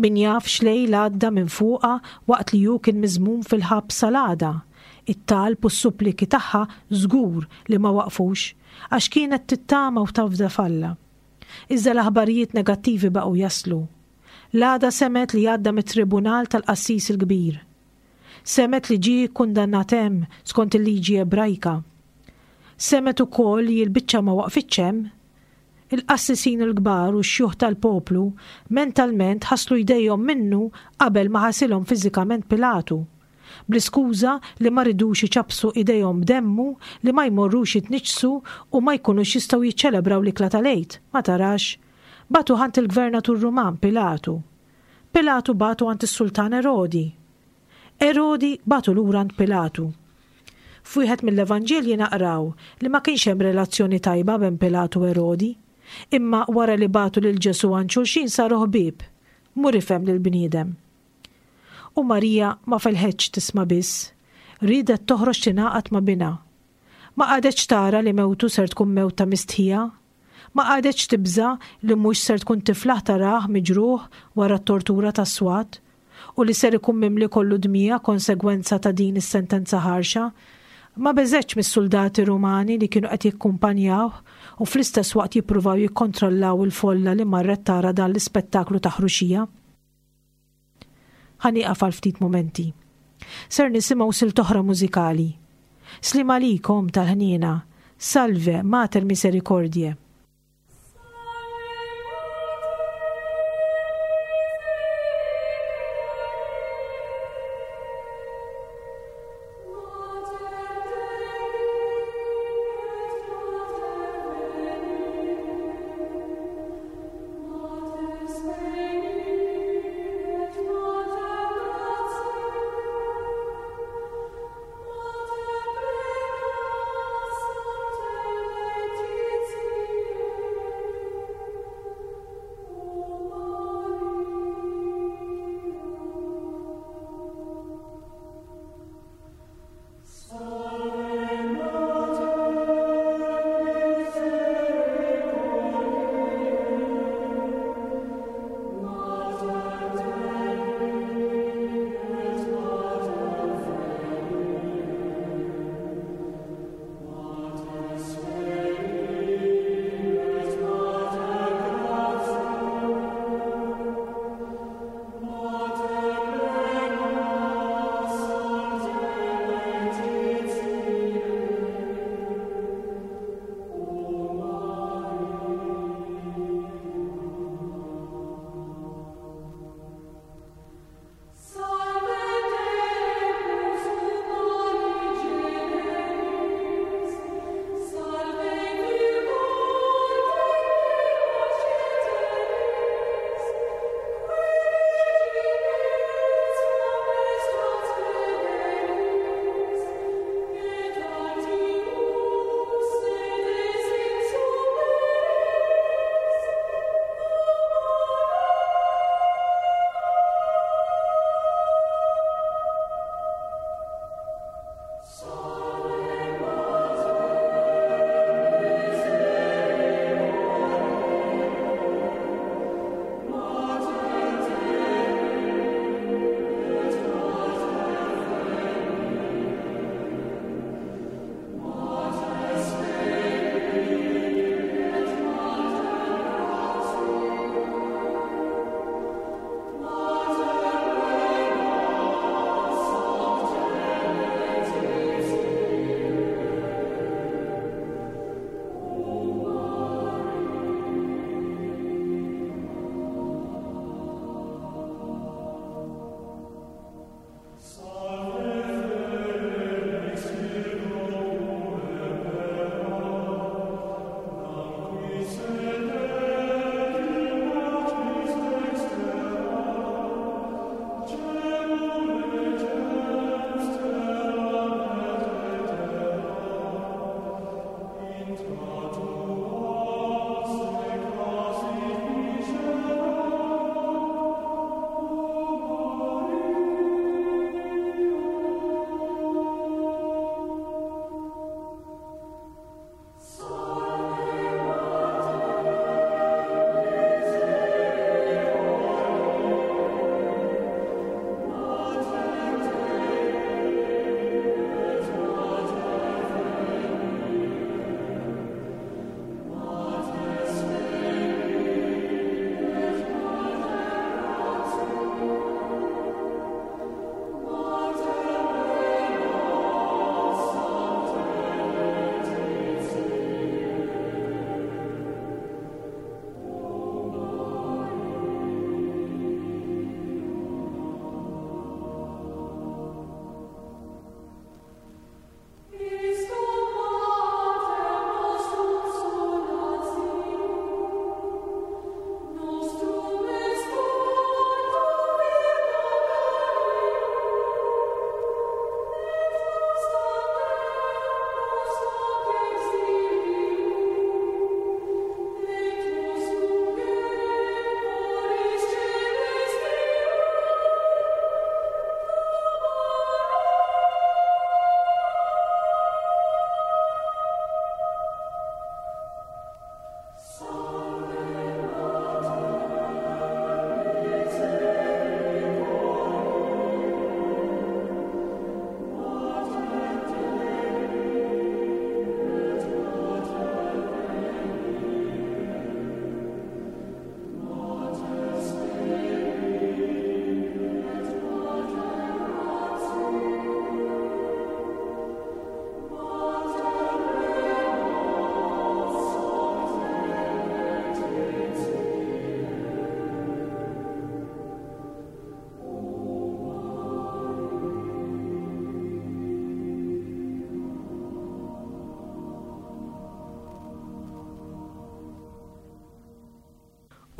Min jaf x'lejl għadda minn fuqha waqt li hu kien miżmum fil-ħabs sal-għada. It-talb u s-suppliki tagħha żgur li ma waqfux għax kienet tittama u tafda f'Alla. Iżda l-aħbarijiet negattivi baqgħu jaslu. L-għada semet li għadda mit-tribunal tal-qassis il-kbir. Semet li ġie kkundannat hemm skont il-liġi Ebrajka. Semet ukoll li l-biċċa ma waqfitx hemm. Il-qassisin il-kbar u x-xjuħ tal-poplu mentalment ħaslu jdejhom minnu qabel ma ħasilhom fiżikament Pilatu, bl-iskuża li ma ridux iċappsu idejhom b'demmu li ma jmorrux jitniġsu u ma jkunux jistgħu jiċċelebraw l-ikla tal-Għid. Ma tarax, batu ħant il-gvernatur Ruman Pilatu. Pilatu batu għand is-sultan Erodi. Erodi batu lura għand Pilatu. F'wieħed mill-Evanġelji naqraw li ma kienx hemm relazzjoni tajba bejn Pilatu u Erodi, imma wara li batu lil Ġesù għand xulxin saru ħbieb. Mur ifhem lill-bniedem. U Marija ma felħetx tisma' biss, riedet toħroġ tingħaqad ma' binha. Ma qagħdetx tara li mewtu ser tkun mewt ta' mistħija. Ma qagħdetx tibża' li mhux ser tkun tiflaħ tarah miġruħ wara t-tortura tas-swat u li ser ikun mimli kollu dmija konsegwenza ta' din is-sentenza ħarxa. Ma beżgħetx mis-soldati Rumani li kienu qed jikkumpanjawh u fl-istess waqt jippruvaw jikkontrollaw il-folla li marret tara dan l-ispettaklu ta' ħruxija. Ħa nieqaf għal ftit momenti. Ser nisimgħu silt oħra mużikali. Slim għalikom tal-ħniena, Salve Mater Misericordiae. Mater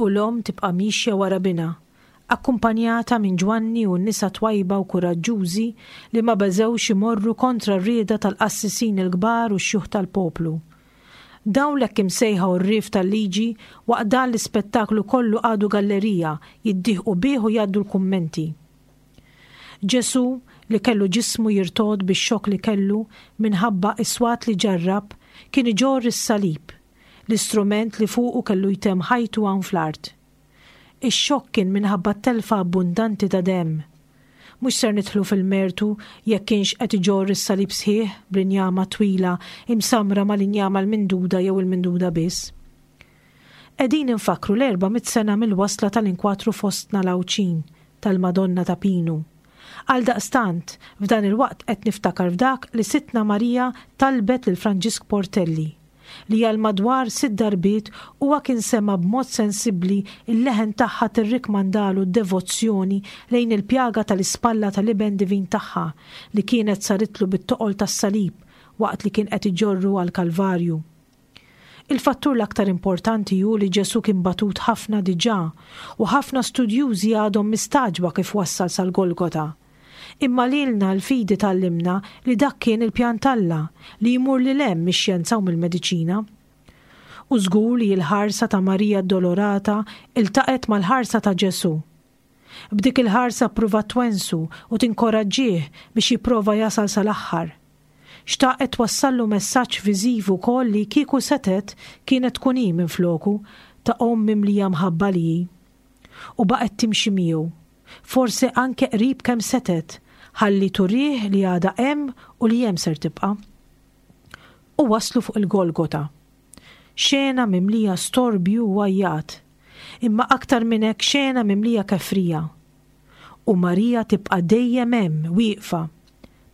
U l-omm tibqa' miexja wara binha, akkumpanjata minn Ġwanni u n-nisa twajba u kuraġġużi li ma beżgħux imorru kontra r-rieda tal-qassisin il-kbar u x-xjuħ tal-poplu. Dawn l-hekk imsejħa għorrief tal-liġi waqt dan l-ispettaklu kollu qagħdu gallerija jiddieħqu bih u jgħaddu l-kummenti. Ġesù, li kellu ġismu jirtogħod bix-xokk li kellu minħabba s-swat li ġarrab, kien iġorr is-salib, l-istrument li fuqu kellu jtemm ħajtu hawn fl-art. Ix-xokk kien minħabba t-telfa abbundanti ta' demm. Mhux ser nidħlu fil-mertu jekk kienx qed iġorr is-salib sħiħ bl-injama twila imsammra mal-injama l-minduda jew il-minduda biss. Qegħdin infakkru l-erba' mitt sena mill-wasla tal-inkwatru fostna l-Għawdxin tal-Madonna ta' Pinu. Għaldaqstant, f'dan il-waqt qed niftakar f'dak li Sidtna Marija talbet lil Franġisk Portelli, li għal madwar sitt darbiet huwa kien sema' b'mod sensibbli l-leħen tagħha tirrikmandalu d-devozzjoni lejn il-pjaga tal-ispalla tal-Iben Divin tagħha li kienet saritlu bit-toqol tas-salib waqt li kien qed iġorru għall-Kalvarju. Il-fattur l-aktar importanti hu li Ġesù kien batut ħafna diġà u ħafna studjużi għadhom mistagħġba kif wassal sal-Golgota. Imma lilna l-fidi tgħallimna li dak kien il-pjan t'Alla li jmur lil hemm mix-xjenza u mill-mediċina. U żgur li l-ħarsa ta' Marija Addolorata iltaqgħet mal-ħarsa ta' Ġesù. B'dik il-ħarsa ppruvat twensu u tinkoraġġih biex jipprova jasal sal-aħħar. Xtaqet twassallu messaġġ viżiv ukoll li kieku setgħet kienet tkun hi minfloku, ta' omm mimlija mħabba li hi. U baqgħet timxi miegħu. Forsi anke qrib kemm setgħet, ħalli turih li għadha hemm u li hemm ser tibqa'. U waslu fuq il-Golgota. Xena mimlija storbju u għajjat, imma aktar minn hekk xena mimlija kefrija. U Marija tibqa' dejjem hemm wieqfa.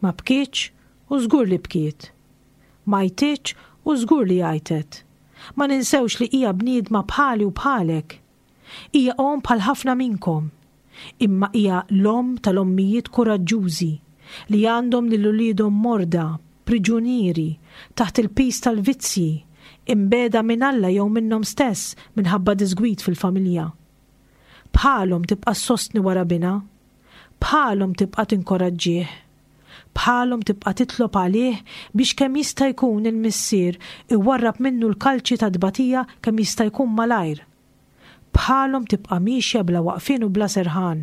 Ma bkietx u żgur li bkiet. Ma għajtitx u żgur li għajtet. Ma ninsewx li hija bniedma bħali u bħalek. Hija omm bħal ħafna minnkom. Imma hija l-omm tal-ommijiet kuraġġużi li għandhom lil uliedhom morda, priġunieri, taħt il-piż tal-vizzji, imbegħda minn Alla jew minnhom stess minħabba diżgwid fil-familja. Bħalhom tibqa' ssostni wara binha, bħalhom tibqa' tinkoraġġih, bħalhom tibqa' titlob għalih biex kemm jista' jkun il-Missier iwarrab minnu l-kalċi ta' tbatija kemm jista' jkun malajr. Bħalhom tibqa' miexja bla waqfien u bla serħan.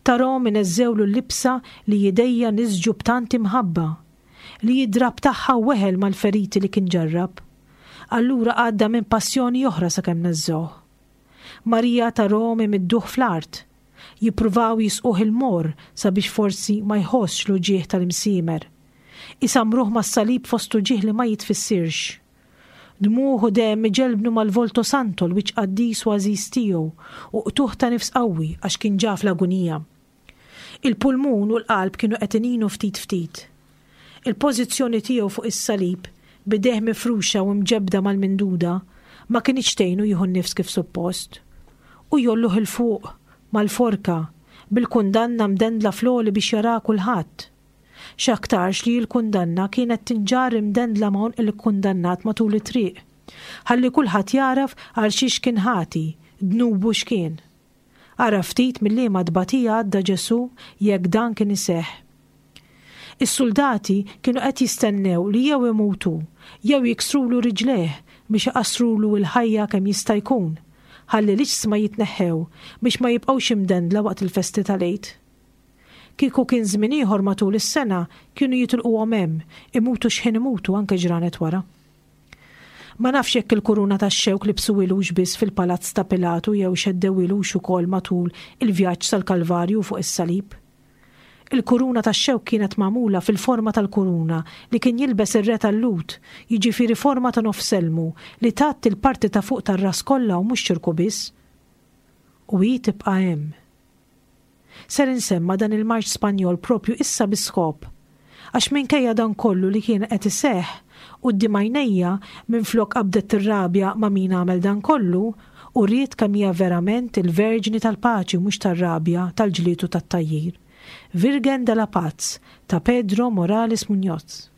Tarahom ineżżewlu l-libsa li idejja nisġu b'tant imħabba, li id-drab tagħha weħel mal-feriti li kien ġarrab. Allura għadda minn passjoni oħra sakemm neżżewh. Marija tarahom imidduh fl-art, jippruvaw jisquh il-mor sabiex forsi ma jħossx l-uġigħ tal-imsiemer. Isamruh mas-salib fost uġigħ li ma jitfissirx. Dmuħ u demm iġelbnu mal-Volto Santo l-wiċċ qaddis u għażiż tiegħu u qtuħ ta' nifs qawwi għax kien ġa fl-agunija. Il-pulmun u l-qalb kienu qed ininu ftit ftit. Il-pożizzjoni tiegħu fuq is-salib, b'idejh mifruxa u mġebda mal-minduda, ma kinitx tgħinu jieħu n-nifs kif suppost. U jolluh 'il fuq mal-forka bil-kundanna mdendla fl-għoli biex jara kulħadd. X'aktarx li l-kundanna kienet tinġarr imdendla ma' għonq il-kundannat matul it-triq, ħalli kulħadd jaraf għal xiex kien ħati, dnubu x'kien. Ara ftit mill-liema tbatija għadda Ġesù jekk dan kien iseħħ. Is-soldati kienu qed jistennew li jew imutu jew jiksrulu riġlejh biex iqassrulu l-ħajja kemm jista' jkun, ħalli l-iġsma jitneħħew biex ma jibqgħux imdendla waqt il-festi tal-Għid. Kieku kien żmien ieħor matul is-sena kienu jitilquhom hemm, imutu x'ħin imutu anke ġranet wara. Ma nafx jekk il-kuruna tax-xewk libsuhilux biss fil-palazz ta' Pilatu jew xeddewilux ukoll matul il-vjaġġ sal-Kalvarju fuq is-salib. Il-kuruna tax-xewk kienet magħmula fil-forma tal-kuruna li kien jilbes ir-re tal-Lhud, jiġifieri forma ta' nofs elmu li tgħatti l-parti ta' fuq tar-ras kollha u mhux ċirku biss. U hi tibqa' hemm. Ser insemma dan il-marċ Spanjol propju issa bi skop, għax minkejja dan kollu li kien qed iseħħ quddiem għajnejja minflok qabdet tirrabja ma' min għamel dan kollu u ried kemm hija verament il-Verġni tal-Paċi mhux tar-rabja, tal-ġlied u tat-tgħajjir. Virgen de la Paz ta' Pedro Morales Muñoz.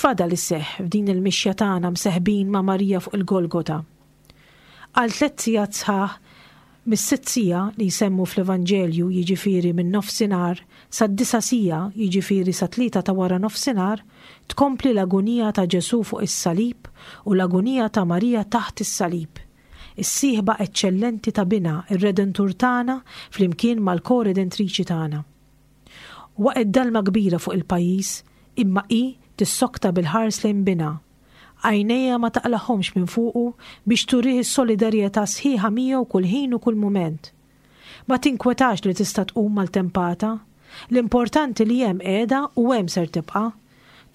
X'fadal iseħħ f'din il-mixja tagħna mseħbin ma' Marija fuq il-Golgota? Għal tliet sigħat sħaħ, mis-sitt siegħa li jsemmu fl-Evanġelju, jiġifieri minn nofsinhar, sad-disa' siegħa, jiġifieri sa tlieta ta' wara nofsinhar, tkompli l-agunija ta' Ġesù fuq is-salib u l-agunija ta' Marija taħt is-salib. Is-sieħba eċċellenti ta' binha, ir-Redentur tagħna, flimkien mal-ko-redentriċi tagħna. Waqgħet dalma kbira fuq il-pajjiż, imma hi tissokta bil-ħars lejn binha. Għajnejha ma taqlagħhomx minn fuqu biex turih is-solidarjetà sħiħa miegħu kull ħin u kull mument. Ma tinkwetax li tista' tqum maltempata. L-importanti li hemm qiegħda u hemm ser tibqa'.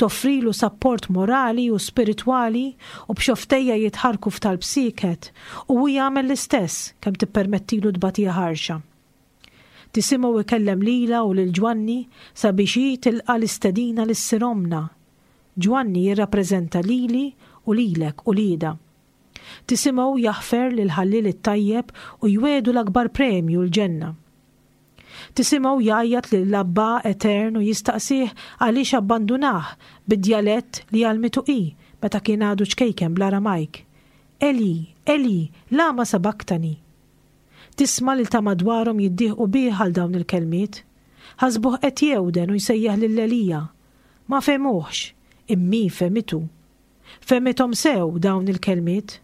Toffrilu sapport morali u spiritwali u b'xofftejha jitħarrku f'talb sieket u hu jagħmel l-istess kemm tippermettilu tbatija ħarxa. Tisimgħu ikellem lilha u lil Ġwanni sabiex hi tilqa' l-istedina li ssir ommna. Ġwanni jirrappreżenta lili u lilek u lieda. Tisimgħu jaħfer lil ħalliel it-tajjeb u jwiegħdu l-akbar premju l-ġenna. Tisimgħu jgħajjat lil Abba Etern u jistaqsih għaliex abbandunah bid-djalett li għallmitu hi meta kien għadu ċkejken bl-Aramajk. Eli, Eli, lama sabaktani? Tisma' lil ta' madwarhom jiddieħqu bih għal dawn il-kelmiet. Ħasbuh qed jewden u jsejjaħ lil Elija. Ma fehmuhx, imma hi fehmitu. Fehmithom sew dawn il-kelmiet,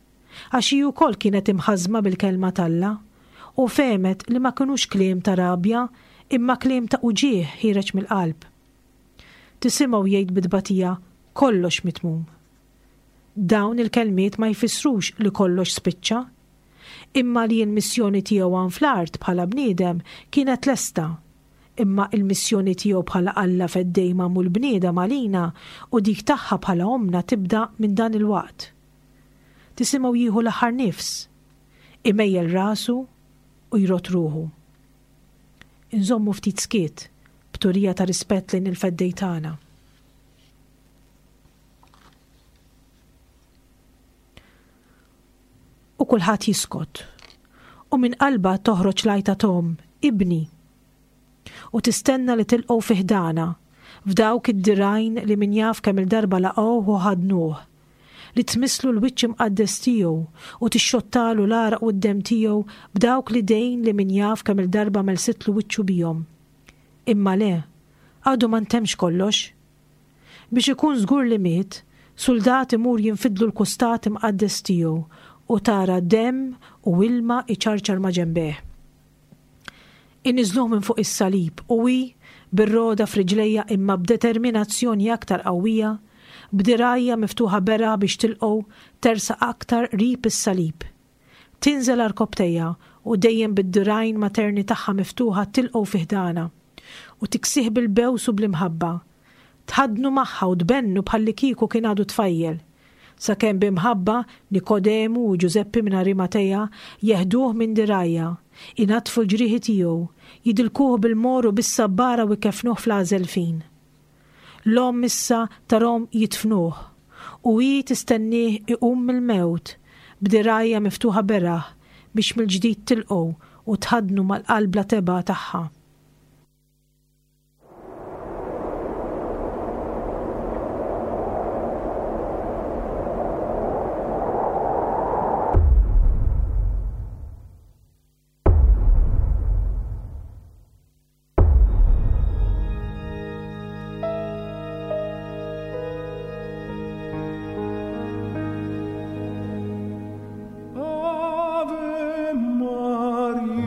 għax hi wkoll kienet imħażżma bil-kelma t'Alla, u fehmet li ma kinux kliem ta' rabja, imma kliem ta' uġigħ ħiereġ mill-qalb. Tisimgħu jgħid bi tbatija, kollox mitmum. Dawn il-kelmiet ma jfissrux li kollox spiċċa, imma li l-missjoni tiegħu hawn fl-art bħala bniedem kienet lesta, imma il-missjoni tiegħu bħala Alla feddej magħmul bniedem għalina u dik tagħha bħala ommna tibda minn dan il-waqt. Tisimgħu jieħu l-aħħar nifs, imejjel rasu u jrot ruħu. Inżommu ftit skiet b'turija ta' rispett lejn il-feddej tagħna. U kulħadd jiskot. U minn qalbha toħroġ l-għajta t'omm, ibni. U tistenna li tilqgħu fi ħdana, f'dawk id-dirgħajn li min jaf kemm il-darba laqgħuh u ħadnuh, li tmisslu l-wiċċ imqaddes tiegħu u tixxottalu l-għaraq u d-demm tiegħu b'dawk l-idejn li min jaf kemm il-darba melsitlu wiċċu bihom. Imma le, għadu ma ntemmx kollox. Biex ikun żgur li miet, suldat imur jinfidlu l-kustat imqaddes tiegħu u tara demm u ilma iċarċar ma' ġenbeh. Iniżluh minn fuq is-salib u hi, bir-roda f'riġlejha imma b'determinazzjoni aktar qawwija, b'dirgħajha miftuħa beraħ biex tilqgħu, tersaq aktar qrib is-salib. Tinżel għarkopptejha u dejjem bid-dirgħajn materni tagħha miftuħa tilqgħu fi ħdana u tiksih bil-bews u bl-imħabba. Tħaddnu magħha u tbennu bħallikieku kien għadu tfajjel. Sakemm b'imħabba Nikodemu u Ġużeppi minn Arimateja jeħduh minn dirgħajha, inaddfu l-ġrieħi tiegħu, jidilkuh bil-mor u bis-sabbara u jkeffnuh fl-għażel fin. L-omm issa tarhom jidfnuh u hi tistennieh iqum mill-mewt b'dirgħajha miftuħa beraħ biex mill-ġdid tilqgħu u tħaddnu mal-qalb la tebgħa tagħha. Ave Maria.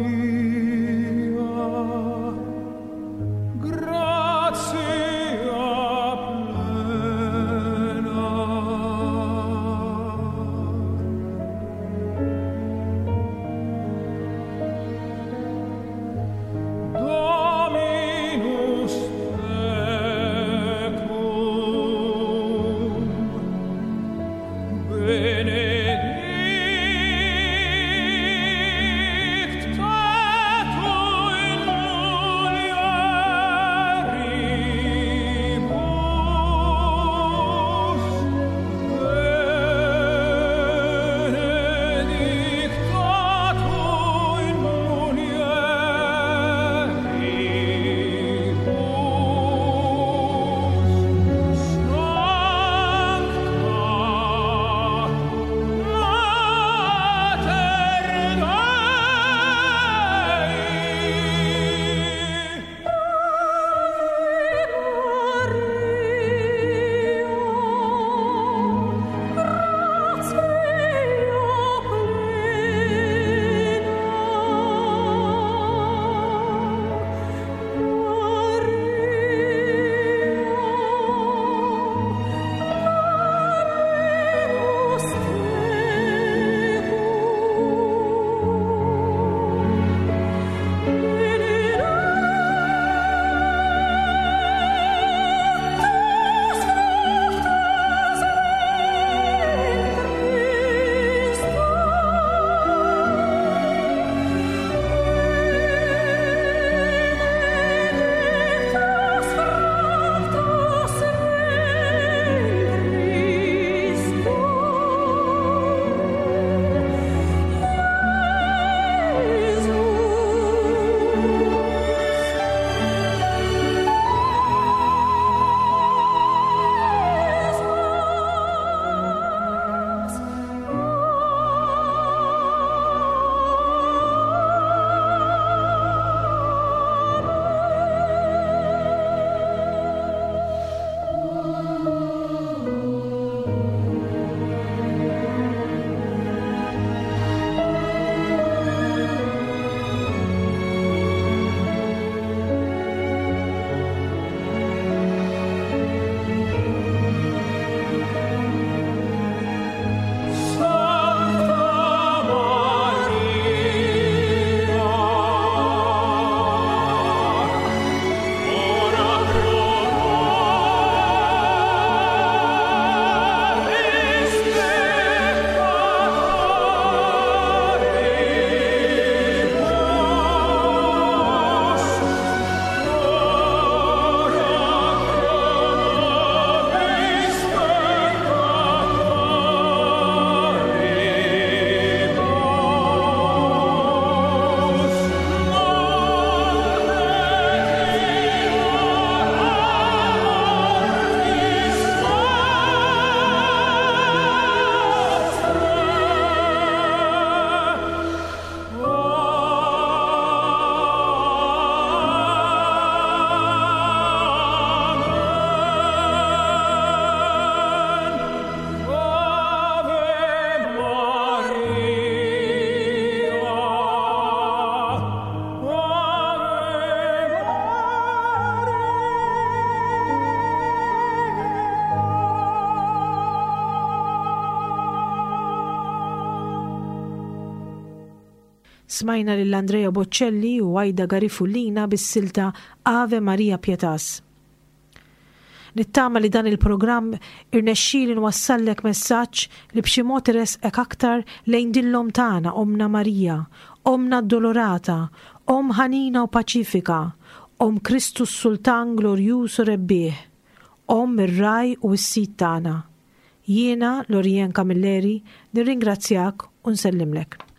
Smajna lil Andrea Bocelli u Aida Garifullina bis-silta Ave Maria Pietas. Nittama li dan il-programm irnexxieli nwassallek messaġġ li b'xi mod iressqek aktar lejn din l-Omm tagħna, Ommna Marija, Ommna Addolorata, Omm ħanina u paċifika, Omm Kristu s-Sultan glorjuż u rebbieħ, Omm ir-ragħaj u s-sid tagħna. Jiena, Lorien Camilleri, nirringrazzjak u nsellimlek.